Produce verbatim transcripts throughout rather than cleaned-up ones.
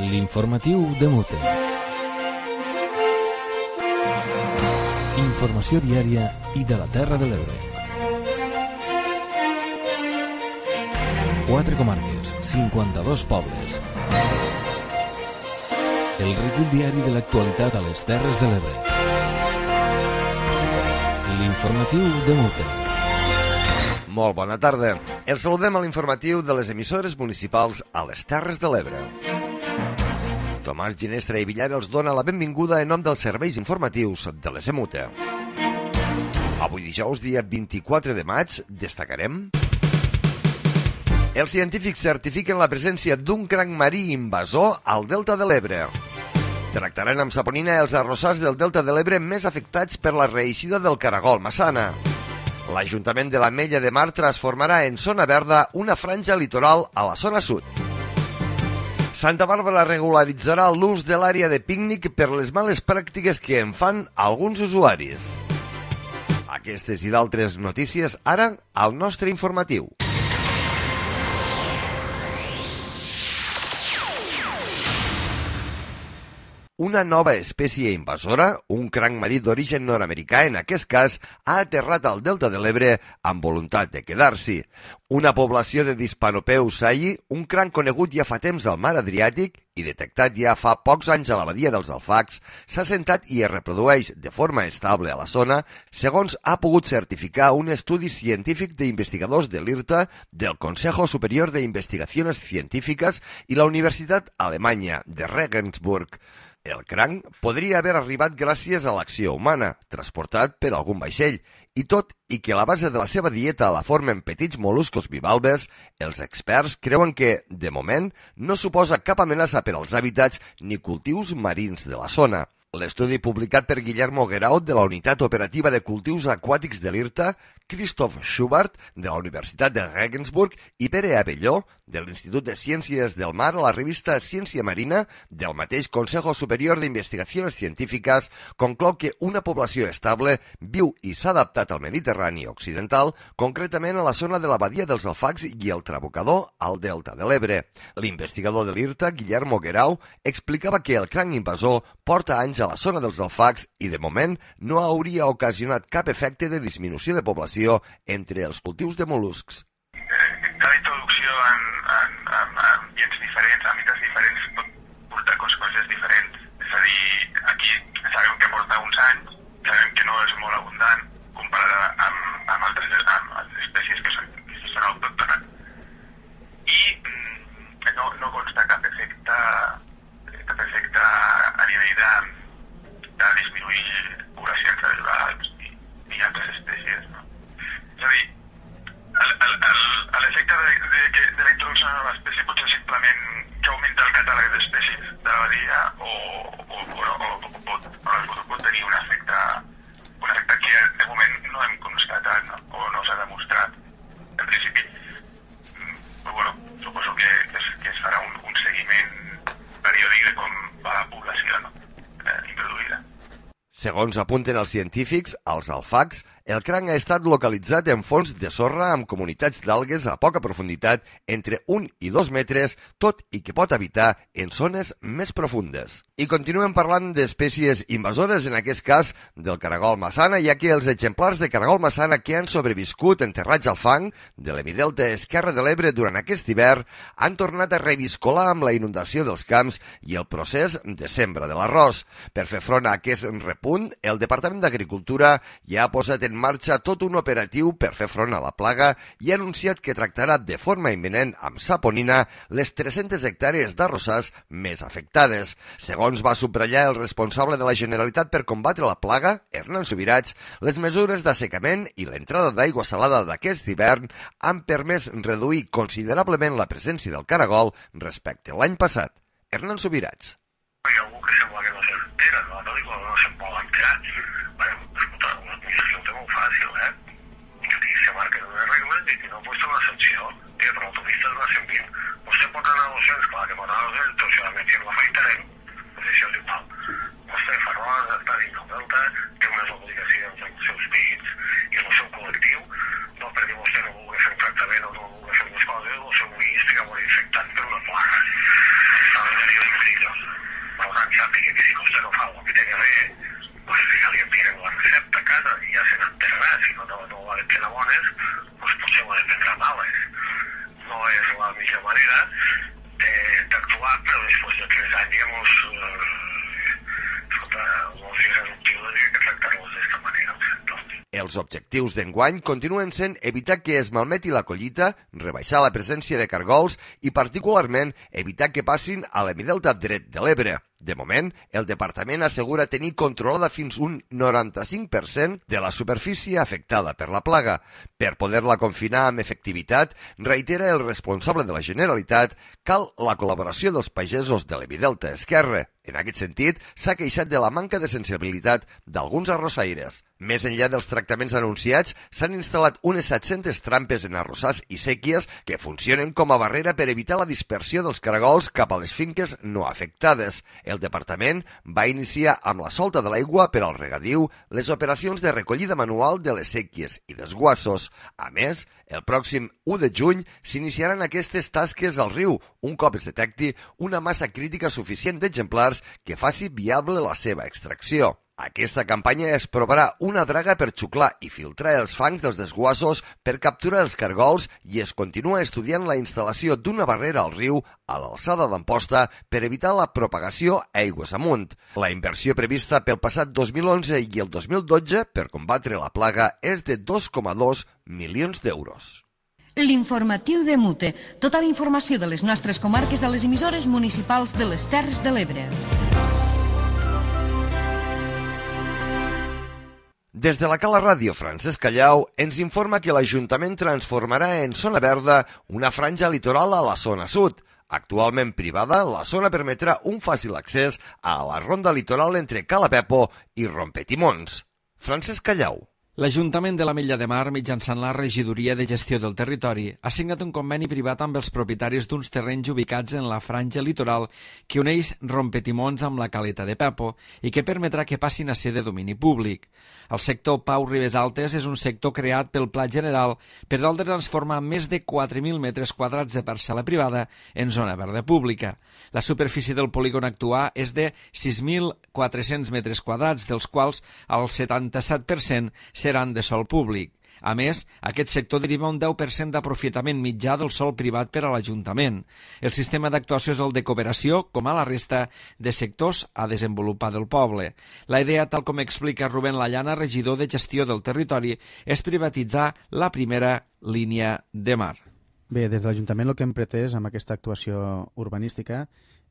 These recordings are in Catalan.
L'informatiu de Mute. Informació diària i de la Terra de l'Ebre. Quatre comarques, cinquanta-dos pobles. El recull diari de l'actualitat a les Terres de l'Ebre. L'informatiu de Mute. Molt bona tarda. Els saludem a l'informatiu de les emissores municipals a les Terres de l'Ebre. Tomàs Ginestra i Villar els dona la benvinguda en nom dels serveis informatius de les EMUTE. Avui dijous, dia vint-i-quatre de maig, destacarem... Els científics certifiquen la presència d'un cranc marí invasor al Delta de l'Ebre. Tractaran amb saponina els arrossars del Delta de l'Ebre més afectats per la reeixida del caragol Massana. L'Ajuntament de l'Ametlla de Mar transformarà en zona verda una franja litoral a la zona sud. Santa Bàrbara regularitzarà l'ús de l'àrea de pícnic per les males pràctiques que en fan alguns usuaris. Aquestes i d'altres notícies ara al nostre informatiu. Una nova espècie invasora, un cranc marí d'origen nord-americà, en aquest cas, ha aterrat al Delta de l'Ebre amb voluntat de quedar-s'hi. Una població de Dispanopeu sayi, un cranc conegut ja fa temps al mar Adriàtic i detectat ja fa pocs anys a la badia dels Alfacs, s'ha assentat i es reprodueix de forma estable a la zona, segons ha pogut certificar un estudi científic d'investigadors de l'IRTA, del Consejo Superior de Investigaciones Científicas i la Universitat Alemanya de Regensburg. El cranc podria haver arribat gràcies a l'acció humana, transportat per algun vaixell, i tot i que la base de la seva dieta la formen petits mol·luscos bivalves, els experts creuen que, de moment, no suposa cap amenaça per als hàbitats ni cultius marins de la zona. L'estudi publicat per Guillermo Guerau de la Unitat Operativa de Cultius Aquàtics de l'IRTA, Christoph Schubert de la Universitat de Regensburg i Pere Abelló de l'Institut de Ciències del Mar a la revista Ciència Marina del mateix Consejo Superior d'Investigacions Científiques conclou que una població estable viu i s'ha adaptat al Mediterrani occidental, concretament a la zona de la badia dels Alfacs i el Trabucador al Delta de l'Ebre. L'investigador de l'IRTA, Guillermo Guerau, explicava que el cranc invasor porta anys a la zona dels Alfacs i, de moment, no hauria ocasionat cap efecte de disminució de població entre els cultius de mol·luscs. Cada introducció en, en, en ambients diferents, àmbits diferents, pot portar conseqüències diferents. És a dir, aquí sabem que porta uns anys, sabem que no és molt abundant comparada amb, amb altres amb, amb espècies que són, que són autòctones. I mm, no, no consta cap efecte, cap efecte a nivell de de disminuir poblacions naturals i, i altres espècies. No? És a dir, l'efecte de, de, de, de la introducció de la nova espècie pot ser simplement que augmenta el catàleg d'espècies de la badia o, o, o, o, o, pot, o pot tenir un efecte, un efecte que de moment no hem constatat, no? O no s'ha demostrat. En principi, però, bueno, suposo que es, que es farà un, un seguiment periòdic de com va la població, no? eh, introduïda. Segons apunten els científics, als Alfacs, el cranc ha estat localitzat en fons de sorra amb comunitats d'algues a poca profunditat entre un i dos metres, tot i que pot habitar en zones més profundes. I continuem parlant d'espècies invasores, en aquest cas del caragol Massana, ja que els exemplars de caragol Massana que han sobreviscut enterrats al fang de l'hemidelta esquerre de l'Ebre durant aquest hivern han tornat a reviscolar amb la inundació dels camps i el procés de sembra de l'arròs. Per fer front a aquest repunt, el Departament d'Agricultura ja ha posat en marxa tot un operatiu per fer front a la plaga i ha anunciat que tractarà de forma imminent amb saponina les tres-centes hectàrees d'arrossars més afectades. Segons va subratllar el responsable de la Generalitat per combatre la plaga, Hernán Subirats, les mesures d'assecament i l'entrada d'aigua salada d'aquest hivern han permès reduir considerablement la presència del caragol respecte a l'any passat. Hernán Subirats. Hi ha algú que sembla que no s'entera, no? No dic que no se'n vol enterar. Bueno, escolta, una administració ho té molt fàcil, eh? I se marquen unes regles i si no, pues té una sanció. I per l'autopista es va cent vint. Vostè pot anar a dos-cents, clar que pot anar a dos-cents, doncs si la menció la afaitarem, doncs això és igual. Vostè fa roda, està dins del Delta, té unes obligacions amb els seus pits i el seu col·lectiu, no perquè vostè no vulgui fer un tractament o no vulgui fer unes coses, el seu ull estigui molt infectat per una plaga. Està de venir manera d'actuar, però després de tres anys, digamos, eh, escolta, els irreductibles i que tractar-los d'esta manera al sector. Els objectius d'enguany continuen sent evitar que es malmeti la collita, rebaixar la presència de cargols i, particularment, evitar que passin a l'hemidelta dret de l'Ebre. De moment, el departament assegura tenir controlada fins un noranta-cinc per cent de la superfície afectada per la plaga. Per poder-la confinar amb efectivitat, reitera el responsable de la Generalitat, cal la col·laboració dels pagesos de l'hemidelta esquerre. En aquest sentit, s'ha queixat de la manca de sensibilitat d'alguns arrossaires. Més enllà dels tractaments anunciats, s'han instal·lat unes set-centes trampes en arrossars i sèquies que funcionen com a barrera per evitar la dispersió dels caragols cap a les finques no afectades. El departament va iniciar amb la solta de l'aigua per al regadiu les operacions de recollida manual de les sèquies i desguassos. A més, el pròxim u de juny s'iniciaran aquestes tasques al riu, un cop es detecti una massa crítica suficient d'exemplars que faci viable la seva extracció. Aquesta campanya es provarà una draga per xuclar i filtrar els fangs dels desguassos per capturar els cargols i es continua estudiant la instal·lació d'una barrera al riu a l'alçada d'Amposta per evitar la propagació aigües amunt. La inversió prevista pel passat dos mil onze i el dos mil dotze per combatre la plaga és de dos coma dos milions d'euros. L'informatiu de Mute. Tota la informació de les nostres comarques a les emissores municipals de les Terres de l'Ebre. Des de la Cala Ràdio, Francesc Callau ens informa que l'Ajuntament transformarà en zona verda una franja litoral a la zona sud. Actualment privada, la zona permetrà un fàcil accés a la ronda litoral entre Cala Pepo i Rompetimons. Francesc Callau. L'Ajuntament de l'Ametlla de Mar, mitjançant la Regidoria de Gestió del Territori, ha signat un conveni privat amb els propietaris d'uns terrenys ubicats en la franja litoral que uneix Rompetimons amb la Caleta de Pepo i que permetrà que passin a ser de domini públic. El sector Pau Ribes Altes és un sector creat pel Pla General per tal de transformar més de quatre mil metres quadrats de parcel·la privada en zona verda pública. La superfície del polígon actual és de sis mil quatre-cents metres quadrats, dels quals el setanta-set per cent seran de sòl públic. A més, aquest sector deriva un deu per cent d'aprofitament mitjà del sòl privat per a l'Ajuntament. El sistema d'actuació és el de cooperació, com a la resta de sectors a desenvolupar del poble. La idea, tal com explica Rubén Lallana, regidor de Gestió del Territori, és privatitzar la primera línia de mar. Bé, des de l'Ajuntament el que hem pretès amb aquesta actuació urbanística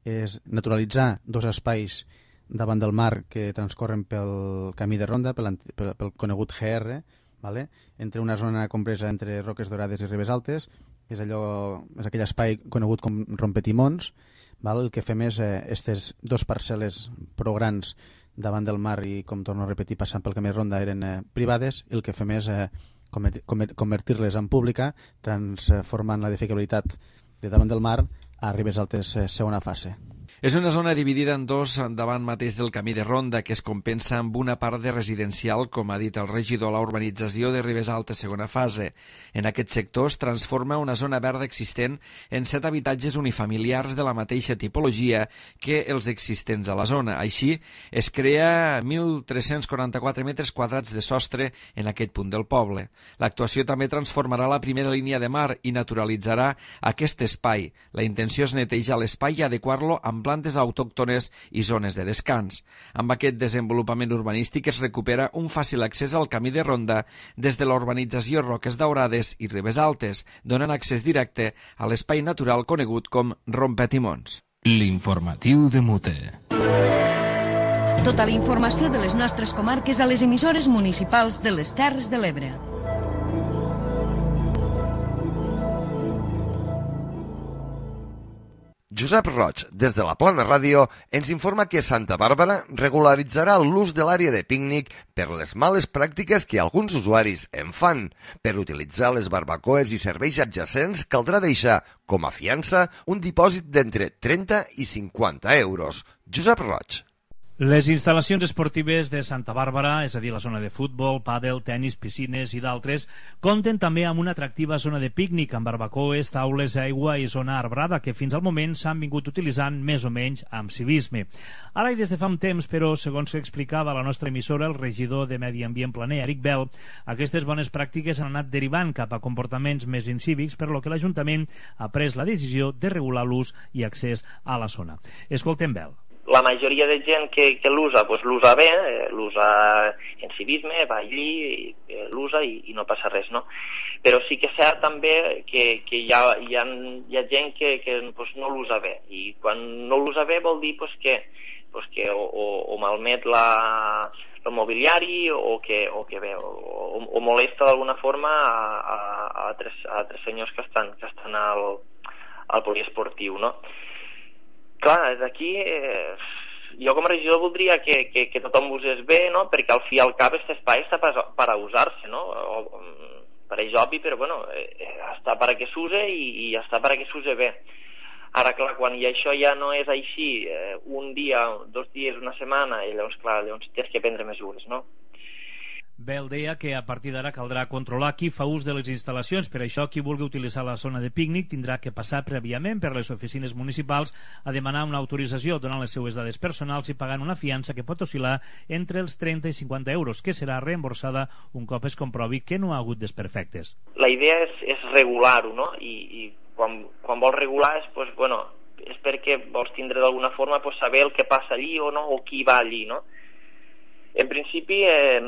és naturalitzar dos espais davant del mar que transcorren pel camí de ronda, pel, pel, pel conegut G R, vale? Entre una zona compresa entre Roques Dorades i Ribes Altes, és, allò, és aquell espai conegut com Rompetimons. Val? El que fem és eh, aquestes dos parcel·les prou grans davant del mar i, com torno a repetir, passant pel camí de ronda eren eh, privades, i el que fem és eh, convertir-les en pública, transformant la edificabilitat de davant del mar a Ribes Altes eh, segona fase. És una zona dividida en dos davant mateix del camí de ronda que es compensa amb una part de residencial, com ha dit el regidor, la urbanització de Ribes Altes segona fase. En aquest sector es transforma una zona verda existent en set habitatges unifamiliars de la mateixa tipologia que els existents a la zona. Així, es crea mil tres-cents quaranta-quatre metres quadrats de sostre en aquest punt del poble. L'actuació també transformarà la primera línia de mar i naturalitzarà aquest espai. La intenció és netejar l'espai i adequar-lo amb plantes autòctones i zones de descans. Amb aquest desenvolupament urbanístic es recupera un fàcil accés al camí de ronda des de la urbanització Roques Daurades i Ribes Altes, donant accés directe a l'espai natural conegut com Rompetimons. L'informatiu de Mute. Tota la informació de les nostres comarques a les emissores municipals de les Terres de l'Ebre. Josep Roig, des de la Plana Ràdio, ens informa que Santa Bàrbara regularitzarà l'ús de l'àrea de pícnic per les males pràctiques que alguns usuaris en fan. Per utilitzar les barbacoes i serveis adjacents caldrà deixar, com a fiança, un dipòsit d'entre trenta i cinquanta euros. Josep Roig. Les instal·lacions esportives de Santa Bàrbara, és a dir, la zona de futbol, pàdel, tennis, piscines i d'altres, compten també amb una atractiva zona de pícnic amb barbacoes, taules, aigua i zona arbrada que fins al moment s'han vingut utilitzant més o menys amb civisme. Ara i des de fa un temps, però, segons que explicava la nostra emissora, el regidor de Medi Ambient Planer, Eric Bell, aquestes bones pràctiques han anat derivant cap a comportaments més incívics, per lo que l'Ajuntament ha pres la decisió de regular l'ús i accés a la zona. Escoltem Bell. La majoria de gent que, que l'usa, doncs l'usa bé, eh, l'usa en civisme, va allí, eh, l'usa i, i no passa res, no? Però sí que és cert també que, que hi, ha, hi, ha, hi ha gent que, que doncs, no l'usa bé, i quan no l'usa bé vol dir doncs, que, doncs, que o, o, o malmet la, el mobiliari o que, o, que bé, o, o molesta d'alguna forma a, a, a, altres, a altres senyors que estan, que estan al, al poliesportiu, no? Clar, d'aquí eh, jo com a regidor voldria que, que, que tothom usés bé, no? Perquè al fi i al cap aquest espai està per, per a usar-se, no? O, pareix obvi, però bueno, eh, està per a que s'use i, i està per a que s'use bé. Ara, clar, quan i això ja no és així, eh, un dia, dos dies, una setmana, i llavors, clar, llavors tens que prendre mesures, no? Bell deia que a partir d'ara caldrà controlar qui fa ús de les instal·lacions. Per això, qui vulgui utilitzar la zona de pícnic tindrà que passar prèviament per les oficines municipals a demanar una autorització, donant les seues dades personals i pagant una fiança que pot oscil·lar entre els trenta i cinquanta euros, que serà reemborsada un cop es comprovi que no ha hagut desperfectes. La idea és, és regular-ho, no? I, i quan, quan vols regular és, pues, bueno, és perquè vols tindre d'alguna forma pues, saber el que passa allí o no, o qui va allí, no? En principi, eh,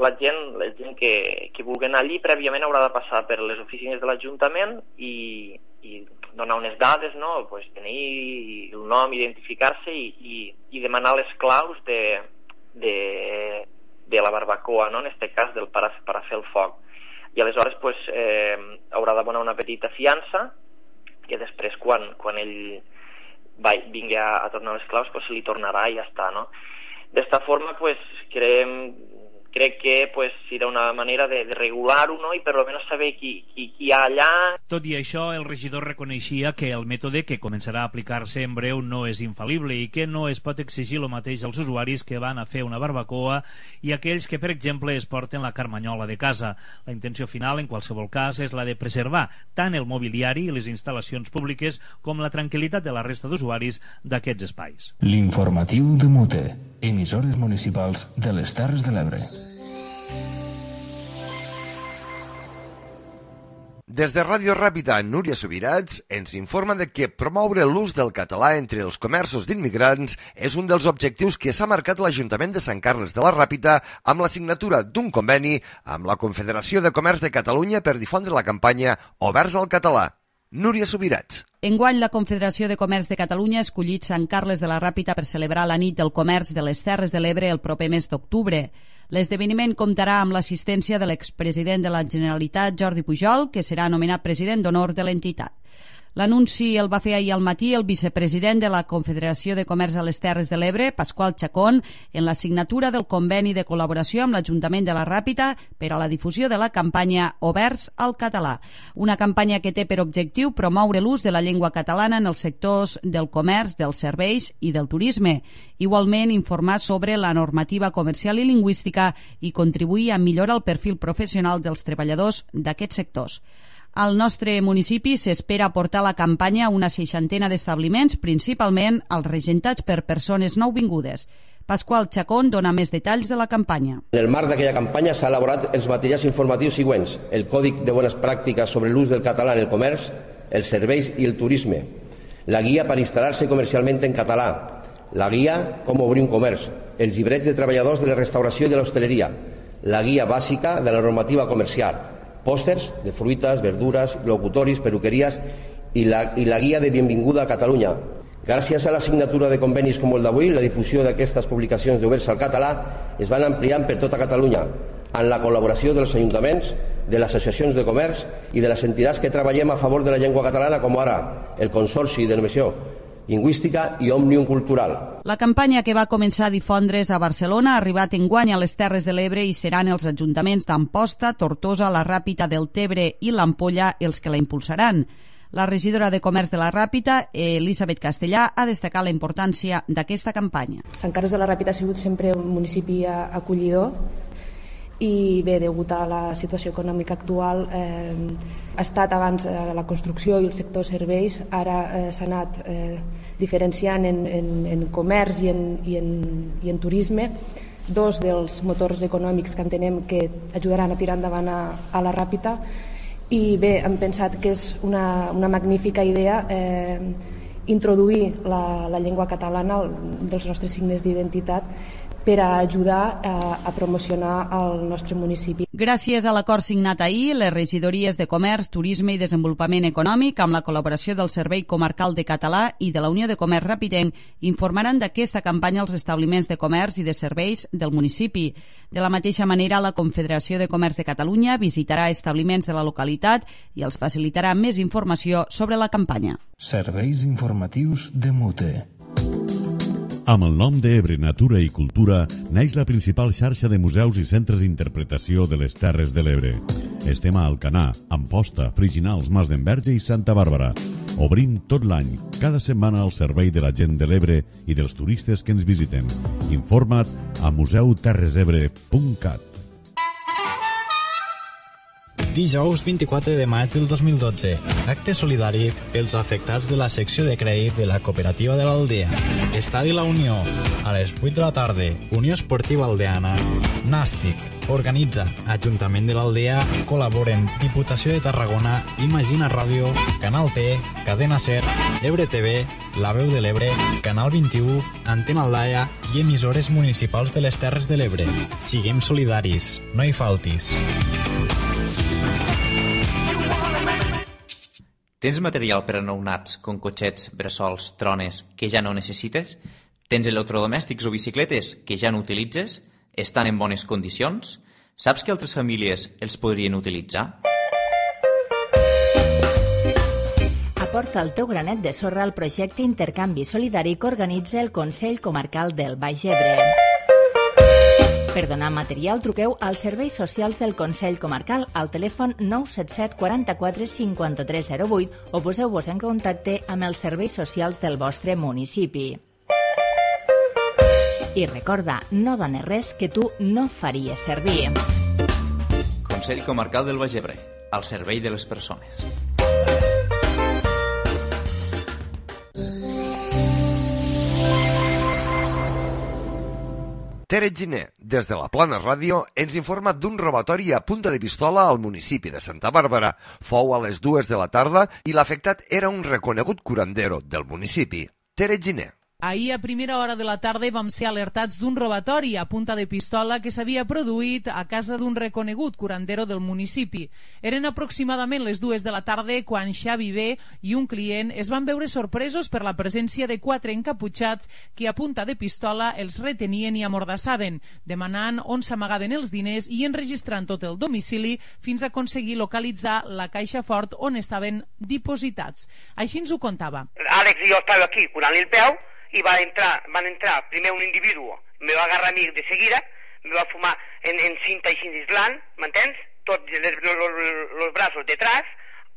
la gent, la gent que, que vulgui anar allí prèviament haurà de passar per les oficines de l'Ajuntament i, i donar unes dades, no? Pues, tenir el nom, identificar-se i, i, i demanar les claus de, de, de la barbacoa, no? En aquest cas, del per a, per a fer el foc. I aleshores pues, eh, haurà d'abonar una petita fiança que després, quan, quan ell va, vingui a, a tornar les claus, pues, se li tornarà i ja està, no? D'esta forma, pues, creem, crec que pues, serà una manera de, de regular-ho, no? I per almenys saber qui, qui, qui hi ha allà. Tot i això, el regidor reconeixia que el mètode que començarà a aplicar-se en breu no és infal·lible i que no es pot exigir el mateix als usuaris que van a fer una barbacoa i aquells que, per exemple, es porten la carmanyola de casa. La intenció final, en qualsevol cas, és la de preservar tant el mobiliari i les instal·lacions públiques com la tranquil·litat de la resta d'usuaris d'aquests espais. L'informatiu de Mute, emissores municipals de les Terres de l'Ebre. Des de Ràdio Ràpita, Núria Subirats ens informa de que promoure l'ús del català entre els comerços d'immigrants és un dels objectius que s'ha marcat l'Ajuntament de Sant Carles de la Ràpita amb la signatura d'un conveni amb la Confederació de Comerç de Catalunya per difondre la campanya Oberts al Català. Núria Subirats. Enguany, la Confederació de Comerç de Catalunya ha escollit Sant Carles de la Ràpita per celebrar la nit del comerç de les Terres de l'Ebre el proper mes d'octubre. L'esdeveniment comptarà amb l'assistència de l'expresident de la Generalitat, Jordi Pujol, que serà nomenat president d'honor de l'entitat. L'anunci el va fer ahir al matí el vicepresident de la Confederació de Comerç a les Terres de l'Ebre, Pasqual Chacón, en la signatura del conveni de col·laboració amb l'Ajuntament de la Ràpita per a la difusió de la campanya Oberts al Català. Una campanya que té per objectiu promoure l'ús de la llengua catalana en els sectors del comerç, dels serveis i del turisme. Igualment, informar sobre la normativa comercial i lingüística i contribuir a millorar el perfil professional dels treballadors d'aquests sectors. Al nostre municipi s'espera portar la campanya a una seixantena d'establiments, principalment als regentats per persones nouvingudes. Pasqual Chacón dona més detalls de la campanya. En el marc d'aquella campanya s'ha elaborat els materials informatius següents: el Còdic de Bones Pràctiques sobre l'ús del català en el comerç, els serveis i el turisme, la guia per instal·lar-se comercialment en català, la guia com obrir un comerç, els llibrets de treballadors de la restauració i de l'hostaleria, la guia bàsica de la normativa comercial, pòsters de fruites, verdures, locutoris, peluqueries i la, i la guia de benvinguda a Catalunya. Gràcies a la signatura de convenis com el d'avui, la difusió d'aquestes publicacions d'Oberts al Català es van ampliant per tota Catalunya, amb la col·laboració dels ajuntaments, de les associacions de comerç i de les entitats que treballem a favor de la llengua catalana, com ara el Consorci de Normació Lingüística i Òmnium Cultural. La campanya, que va començar a difondre's a Barcelona, ha arribat enguany a les Terres de l'Ebre i seran els ajuntaments d'Amposta, Tortosa, la Ràpita, del Tebre i l'Ampolla els que la impulsaran. La regidora de Comerç de la Ràpita, Elisabet Castellà, ha destacat la importància d'aquesta campanya. Sant Carles de la Ràpita ha sigut sempre un municipi acollidor i bé, degut a la situació econòmica actual, eh, ha estat abans eh, la construcció i el sector serveis, ara eh, s'ha anat eh, diferenciant en, en, en comerç i en, i, en, i en turisme, dos dels motors econòmics que entenem que ajudaran a tirar endavant a, a la Ràpita. I bé, hem pensat que és una, una magnífica idea eh, introduir la, la llengua catalana dels nostres signes d'identitat per a ajudar a, a promocionar el nostre municipi. Gràcies a l'acord signat ahir, les regidories de Comerç, Turisme i Desenvolupament Econòmic, amb la col·laboració del Servei Comarcal de Català i de la Unió de Comerç Ràpitenc, informaran d'aquesta campanya als establiments de comerç i de serveis del municipi. De la mateixa manera, la Confederació de Comerç de Catalunya visitarà establiments de la localitat i els facilitarà més informació sobre la campanya. Serveis informatius de Mute. Amb el nom d'Ebre Natura i Cultura neix la principal xarxa de museus i centres d'interpretació de les Terres de l'Ebre. Estem a Alcanar, Amposta, Friginals, Mas d'Enverge i Santa Bàrbara. Obrim tot l'any, cada setmana al servei de la gent de l'Ebre i dels turistes que ens visiten. Informa't a museu terres ebre punt cat. Dijous vint-i-quatre de maig del dos mil dotze. Acte solidari pels afectats de la secció de crèdit de la cooperativa de l'Aldea. Estadi La Unió. A les vuit de la tarda. Unió Esportiva Aldeana. Nàstic. Organitza Ajuntament de l'Aldea. Col·laboren Diputació de Tarragona, Imagina Ràdio, Canal T, Cadena Ser, Ebre T V, La Veu de l'Ebre, Canal vint-i-u, Antena Aldaia i emissores municipals de les Terres de l'Ebre. Siguem solidaris. No hi faltis. Tens material per a nounats, com cotxets, bressols, trones, que ja no necessites? Tens electrodomèstics o bicicletes que ja no utilitzes? Estan en bones condicions? Saps que altres famílies els podrien utilitzar? Aporta el teu granet de sorra al projecte Intercanvi Solidari que organitza el Consell Comarcal del Baix Ebre. Per donar material, truqueu als serveis socials del Consell Comarcal al telèfon nou set set quaranta-quatre cinquanta-tres zero vuit o poseu-vos en contacte amb els serveis socials del vostre municipi. I recorda, no dones res que tu no faries servir. Consell Comarcal del Baix Ebre, al servei de les persones. Tere Giner, des de la Plana Ràdio, ens informa d'un robatori a punta de pistola al municipi de Santa Bàrbara. Fou a les dues de la tarda i l'afectat era un reconegut curandero del municipi. Tere Giner. Ahir a primera hora de la tarda vam ser alertats d'un robatori a punta de pistola que s'havia produït a casa d'un reconegut curandero del municipi. Eren aproximadament les dues de la tarda quan Xavi B i un client es van veure sorpresos per la presència de quatre encaputxats que a punta de pistola els retenien i amordassaven, demanant on s'amagaven els diners i enregistrant tot el domicili fins a aconseguir localitzar la caixa fort on estaven dipositats. Així ens ho contava. Àlex i jo estava aquí curant-li el peu i va entrar, van entrar primer un individu, me va agarrar a mi de seguida, me va fumar en, en cinta així d'islant, m'entens? Tots els braços detrás,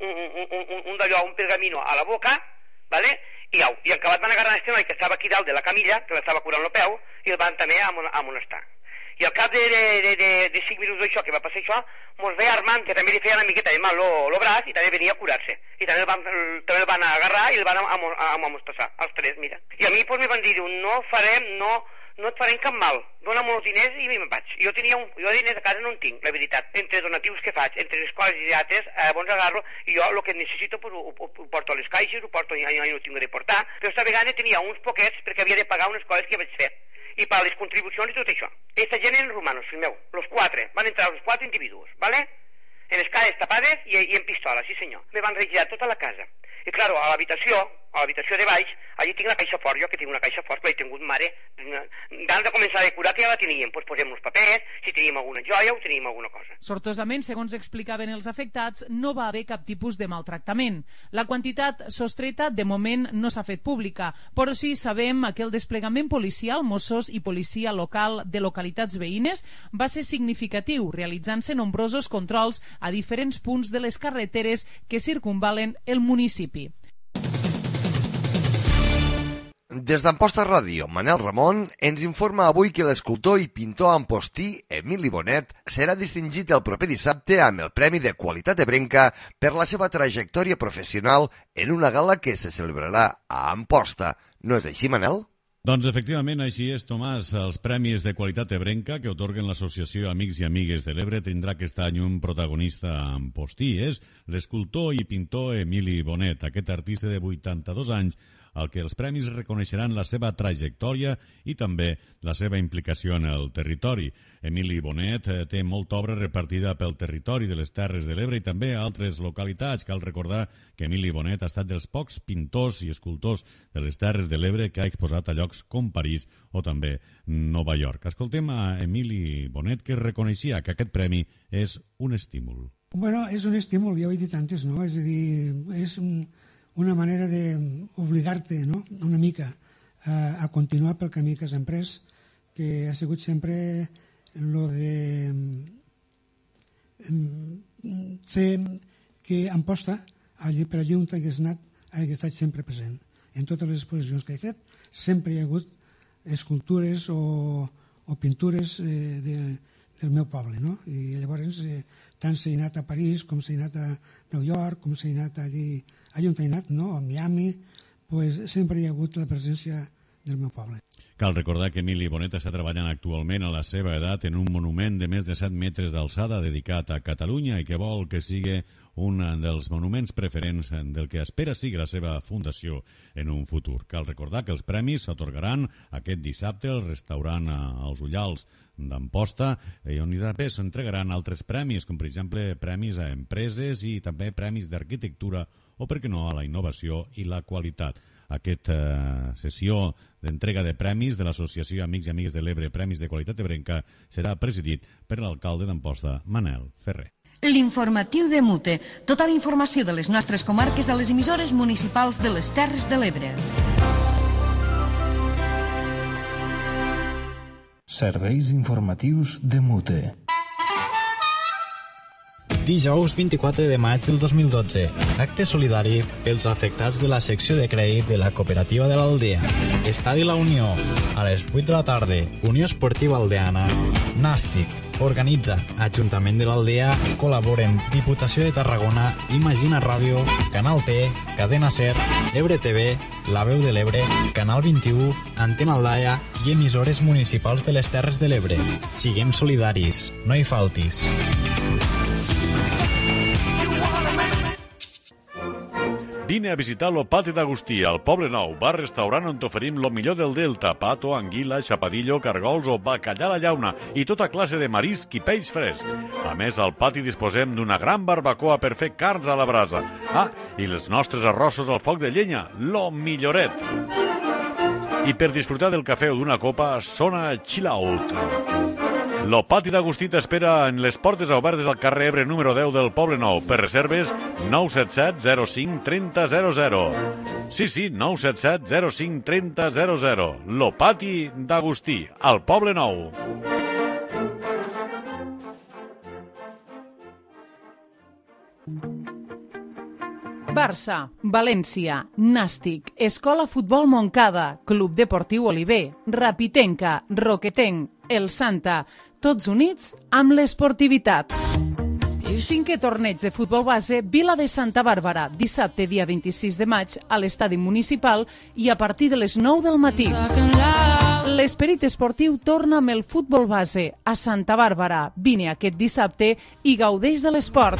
un, un, un, un d'allò, un pergamino a la boca, ¿vale? I au, i acabat van agarrar este noi que estava aquí dalt de la camilla, que l'estava curant el peu, i el van també amonestar. I al cap de, de, de, de cinc minuts d'això, que va passar això, mos veia Armand, que també li feia una miqueta de mal el braç, i també venia a curar-se. I també el van, també el van agarrar i el van amonestar, els tres, mira. I a mi pues, me van dir, no farem, no, no et farem cap mal, dóna'm els diners i me'n vaig. Jo tenia un, jo diners a casa no en tinc, la veritat. Entre donatius que faig, entre les quals i altres, eh, bons agarro, i jo el que necessito pues, ho, ho, ho porto a les caixes, ho porto, ja, ja no ho tinc de portar, però esta vegada tenia uns poquets perquè havia de pagar unes coses que vaig fer. I per les contribucions i tot això. Aquesta gent eren romanos, fill meu. Los quatre. Van entrar els quatre individus, ¿vale? En les cares tapades i, i en pistola, sí senyor. Me van regirar tota la casa. I claro, a l'habitació, a l'habitació de baix, allí tinc la caixa fort, jo que tinc una caixa fort, que l'he tingut mare, d'abans de començar a decorar que ja la teníem, doncs posem uns papers, si teníem alguna joia o teníem alguna cosa. Sortosament, segons explicaven els afectats, no va haver cap tipus de maltractament. La quantitat sostreta de moment no s'ha fet pública, però sí sabem que el desplegament policial, Mossos i policia local de localitats veïnes va ser significatiu, realitzant-se nombrosos controls a diferents punts de les carreteres que circunvalen el municipi. Des d'Amposta Ràdio, Manel Ramon ens informa avui que l'escultor i pintor ampostí Emili Bonet serà distingit el proper dissabte amb el Premi de Qualitat Ebrenca per la seva trajectòria professional en una gala que se celebrarà a Amposta. No és així, Manel? Doncs efectivament així és, Tomàs. Els Premis de Qualitat Ebrenca que otorguen l'Associació Amics i Amigues de l'Ebre tindrà aquest any un protagonista ampostí. És l'escultor i pintor Emili Bonet, aquest artista de vuitanta-dos anys, al que els premis reconeixeran la seva trajectòria i també la seva implicació en el territori. Emili Bonet té molta obra repartida pel territori de les Terres de l'Ebre i també a altres localitats. Cal recordar que Emili Bonet ha estat dels pocs pintors i escultors de les Terres de l'Ebre que ha exposat a llocs com París o també Nova York. Escoltem a Emili Bonet, que reconeixia que aquest premi és un estímul. Bueno, és un estímul, ja ho he dit antes, no? És a dir, és un... una manera d'obligar-te, no?, una mica a, a continuar pel camí que has emprès, que ha sigut sempre lo de fer que Amposta, allí, per allí on hagués anat, hagi estat sempre present. En totes les exposicions que he fet sempre hi ha hagut escultures o, o pintures eh, de, del meu poble, no? I llavors eh, tant s'ha anat a París com s'ha anat a Nova York, com s'ha anat allí, allí on ha anat, no? A Miami, pues sempre hi ha hagut la presència del meu poble. Cal recordar que Emili Bonet està treballant actualment a la seva edat en un monument de més de set metres d'alçada dedicat a Catalunya i que vol que sigui un dels monuments preferents del que espera sigui la seva fundació en un futur. Cal recordar que els premis s'atorgaran aquest dissabte al restaurant Els Ullals d'Amposta, on també s'entregaran altres premis, com per exemple premis a empreses i també premis d'arquitectura o, per què no, a la innovació i la qualitat. Aquesta eh, sessió d'entrega de premis de l'Associació Amics i Amigues de l'Ebre, Premis de Qualitat Ebrenca, serà presidit per l'alcalde d'Amposta, Manel Ferrer. L'informatiu de Mute. Tota la informació de les nostres comarques a les emissores municipals de les Terres de l'Ebre. Serveis informatius de Mute. Dijous vint-i-quatre de maig del dos mil dotze. Acte solidari pels afectats de la secció de crèdit de la cooperativa de l'Aldea. Estadi La Unió. A les vuit de la tarda, Unió Esportiva Aldeana. Nàstic. Organitza Ajuntament de l'Aldea. Col·laboren Diputació de Tarragona, Imagina Ràdio, Canal T, Cadena Ser, Ebre T V, La Veu de l'Ebre, Canal vint-i-u, Antena Aldaia i emissores municipals de les Terres de l'Ebre. Siguem solidaris. No hi faltis. Vine a visitar lo Pati d'Agustí, al Poble Nou, bar-restaurant on t'oferim lo millor del Delta, pato, anguila, xapadillo, cargols o bacallà a la llauna i tota classe de marisc i peix fresc. A més, al pati disposem d'una gran barbacoa per fer carns a la brasa. Ah, i els nostres arrossos al foc de llenya, lo milloret. I per disfrutar del cafè o d'una copa, sona Chill Out. Lo Pati d'Agustí t'espera en les portes obertes al carrer Ebre número deu del Poble Nou. Per reserves, nou set set zero cinc trenta zero zero. Sí, sí, nou set set zero cinc trenta zero zero. Lo Pati d'Agustí, al Poble Nou. Barça, València, Nàstic, Escola Futbol Montcada, Club Deportiu Oliver, Rapitenca, Roquetenc, El Santa, tots units amb l'esportivitat. Cinquè torneig de futbol base, Vila de Santa Bàrbara, dissabte dia vint-i-sis de maig a l'estadi municipal i a partir de les nou del matí. L'esperit esportiu torna amb el futbol base a Santa Bàrbara. Vine aquest dissabte i gaudeix de l'esport.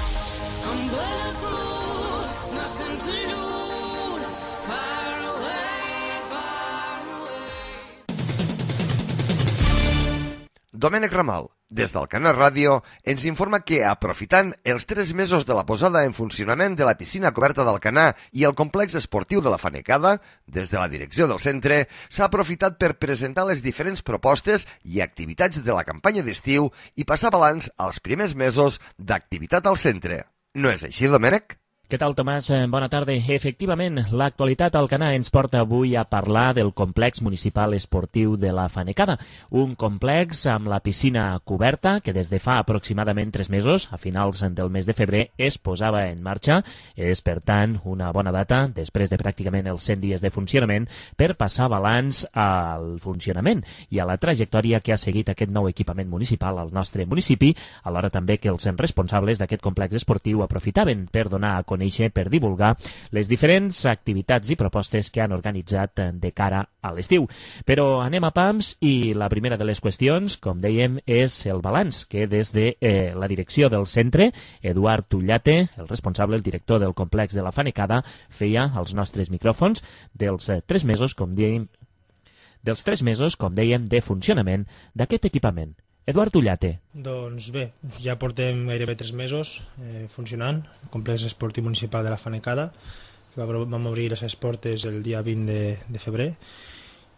Domènec Ramal, des del Canal Ràdio, ens informa que, aprofitant els tres mesos de la posada en funcionament de la piscina coberta d'Alcanar i el complex esportiu de la Fanecada, des de la direcció del centre, s'ha aprofitat per presentar les diferents propostes i activitats de la campanya d'estiu i passar balanç als primers mesos d'activitat al centre. No és així, Domènec? Què tal, Tomàs? Bona tarda. Efectivament, l'actualitat al Alcanar ens porta avui a parlar del complex municipal esportiu de la Fanecada, un complex amb la piscina coberta que des de fa aproximadament tres mesos, a finals del mes de febrer, es posava en marxa. És, per tant, una bona data, després de pràcticament els cent dies de funcionament, per passar balanç al funcionament i a la trajectòria que ha seguit aquest nou equipament municipal al nostre municipi, alhora també que els responsables d'aquest complex esportiu aprofitaven per donar a conèixer per divulgar les diferents activitats i propostes que han organitzat de cara a l'estiu. Però anem a pams i la primera de les qüestions, com dèiem, és el balanç que des de eh, la direcció del centre, Eduard Tullate, el responsable, el director del complex de la Fanecada, feia als nostres micròfons dels eh, tres mesos, com dèiem, dels tres mesos, com dèiem, de funcionament d'aquest equipament. Eduard Tullate. Doncs bé, ja portem gairebé tres mesos eh, funcionant, el complex esportiu municipal de la Fanecada, que vam obrir les seves portes el dia vint de, de febrer,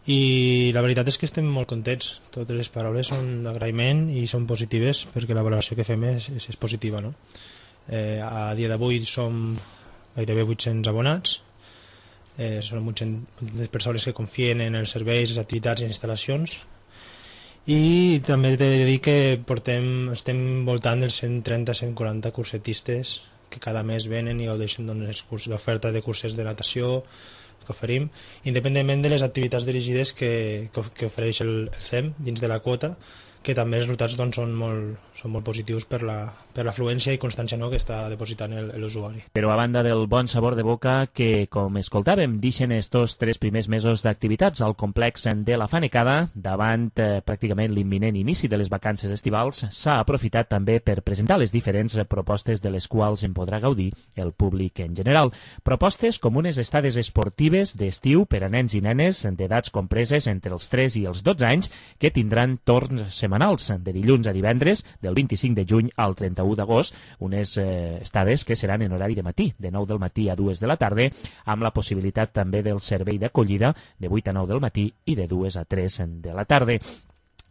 i la veritat és que estem molt contents. Totes les paraules són d'agraïment i són positives, perquè la valoració que fem és, és, és positiva, no? Eh, a dia d'avui som gairebé vuit-cents abonats, eh, són vuit-centes persones que confien en els serveis, les activitats i les instal·lacions, i també t'he de dir que portem, estem voltant dels cent trenta a cent quaranta cursetistes que cada mes venen i gaudeixen l'oferta de curses de natació que oferim, independentment de les activitats dirigides que, que, que ofereix el, el C E M dins de la quota, que també els resultats doncs, són, molt, són molt positius per la, per l'afluència i constància, no?, que està depositant l'usuari. Però a banda del bon sabor de boca que, com escoltàvem, deixen estos tres primers mesos d'activitats al complex de la Fanecada, davant eh, pràcticament l'imminent inici de les vacances estivals, s'ha aprofitat també per presentar les diferents propostes de les quals en podrà gaudir el públic en general. Propostes com unes estades esportives d'estiu per a nens i nenes d'edats compreses entre els tres i els dotze anys que tindran torns setmanals de dilluns a divendres, del vint-i-cinc de juny al trenta-u d'agost, unes eh, estades que seran en horari de matí, de nou del matí a dues de la tarda, amb la possibilitat també del servei d'acollida de vuit a nou del matí i de dues a tres de la tarda.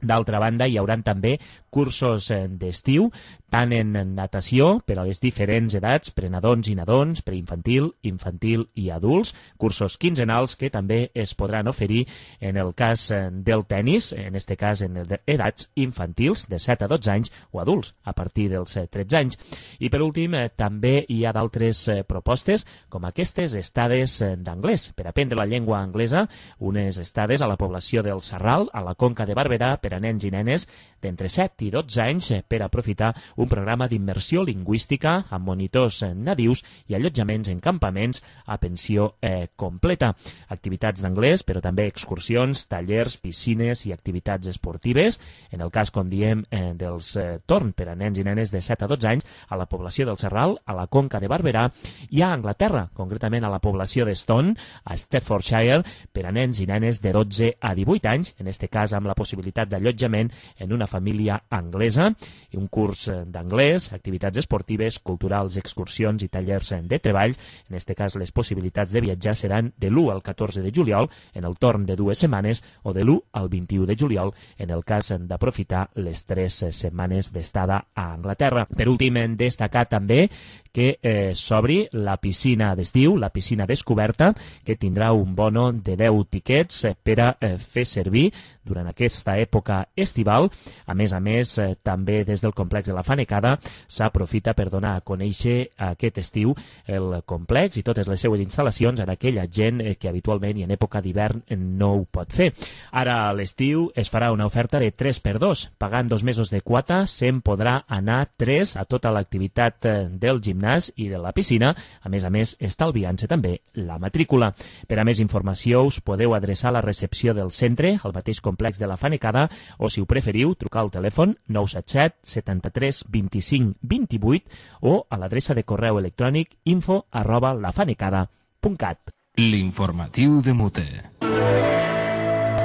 D'altra banda, hi haurà també cursos d'estiu, tant en natació per a les diferents edats, prenadons i nadons, preinfantil, infantil i adults, cursos quinzenals que també es podran oferir en el cas del tenis, en este cas en edats infantils de set a dotze anys o adults a partir dels tretze anys. I per últim, també hi ha d'altres propostes com aquestes estades d'anglès per aprendre la llengua anglesa, unes estades a la població del Sarral, a la Conca de Barberà, per a nens i nenes d'entre set i dotze anys per aprofitar un programa d'immersió lingüística amb monitors nadius i allotjaments en campaments a pensió eh, completa. Activitats d'anglès, però també excursions, tallers, piscines i activitats esportives. En el cas, com diem, eh, dels eh, torn per a nens i nenes de set a dotze anys a la població del Serral, a la Conca de Barberà i a Anglaterra, concretament a la població de Stone, a Staffordshire, per a nens i nenes de dotze a divuit anys, en este cas amb la possibilitat d'allotjament en una família anglesa, i un curs d'anglès, activitats esportives, culturals, excursions i tallers de treball. En aquest cas, les possibilitats de viatjar seran de l'u al catorze de juliol en el torn de dues setmanes o de l'u al vint-i-u de juliol en el cas d'aprofitar les tres setmanes d'estada a Anglaterra. Per últim, hem destacat també que eh, s'obri la piscina d'estiu, la piscina descoberta, que tindrà un bono de deu tiquets eh, per a eh, fer servir durant aquesta època estival. A més a més, eh, també des del complex de la Fanecada s'aprofita per donar a conèixer aquest estiu el complex i totes les seues instal·lacions a aquella gent eh, que habitualment i en època d'hivern eh, no ho pot fer. Ara a l'estiu es farà una oferta de tres per dos. Pagant dos mesos de quota se'n podrà anar tres a tota l'activitat eh, del gimnàs i de la piscina, a més a més estalviant-se també la matrícula. Per a més informació us podeu adreçar a la recepció del centre, al mateix complex de la Fanecada, o si ho preferiu, trucar al telèfon nou set set setanta-tres vint-i-cinc vint-i-vuit o a l'adreça de correu electrònic info arroba lafanecada punt cat. L'informatiu de Mute.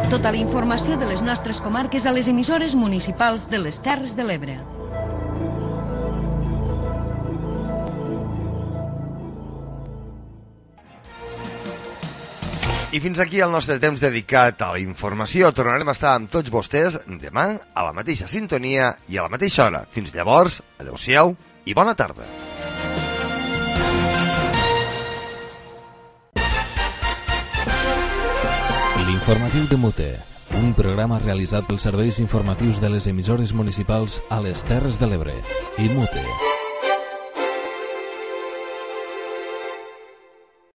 Tota la informació de les nostres comarques a les emissores municipals de les Terres de l'Ebre. I fins aquí el nostre temps dedicat a la informació. Tornarem a estar amb tots vostès demà a la mateixa sintonia i a la mateixa hora. Fins llavors, adeu-siau i bona tarda. L'informatiu de Mute, un programa realitzat pels serveis informatius de les emissores municipals a les Terres de l'Ebre i Mute.